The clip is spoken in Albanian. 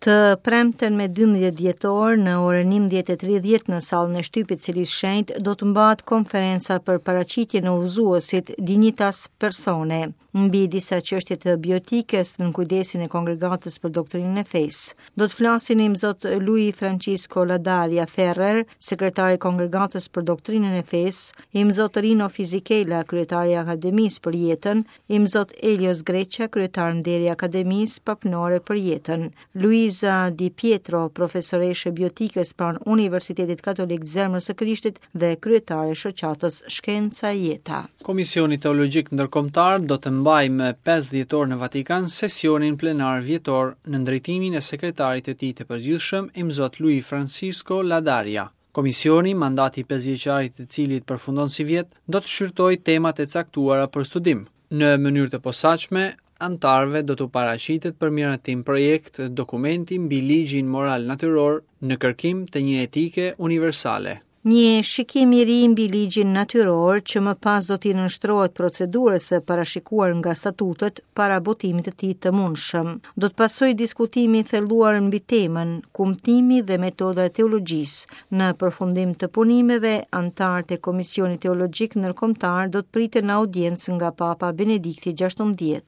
Të premten me 12 dhjetor në orën 11:30 në sallën e shtypit Selisë Shenjtë do të mbahet konferenca për paraqitjen e udhëzuesit Dignitas Personae mbi disa çështje të bioetikës nën kujdesin e Kongregatës për Doktrinën e Fesë. Do të flasin Imzot Luis Francisco Ladaria Ferrer, sekretari i Kongregatës për Doktrinën e Fesë, Imzot Rino Fisichella, kryetari i Akademisë për Jetën, Imzot Elio Sgreccia, kryetar nderi i Akademisë Papnore për Jetën, Luisa Di Pietro, profesoreshë e bioetikës pranë Universitetit Katolik të Zemrës së Krishtit dhe kryetare e shoqatës Shkenca e Jeta. Komisioni Teologjik Ndërkombëtar do të mbajë më 5 dhjetor në Vatikan sesionin plenar vjetor nën drejtimin e sekretarit të tij të përgjithshëm, Imzot Luis Francisco Ladaria. Komisioni, mandati pesëvjeçar i të cilit përfundon sivjet, do të shqyrtojë temat e caktuara për studim. Në mënyrë të posaçme, anëtarëve do t'u paraqitet për miratim projekt dokumenti mbi ligjin moral natyror në kërkim të një etike universale. Një shikim i ri mbi ligjin natyror që më pas do t'i nënshtrohet procedurës së parashikuar nga statutet para botimit të tij të mundshëm. Do të pasojë diskutimi i thelluar mbi temën, kumtimi dhe metoda e teologjisë. Në përfundim të punimeve, anëtarët e Komisionit Teologjik Ndërkombëtar do të priten në audiencë nga Papa Benedikti XVI.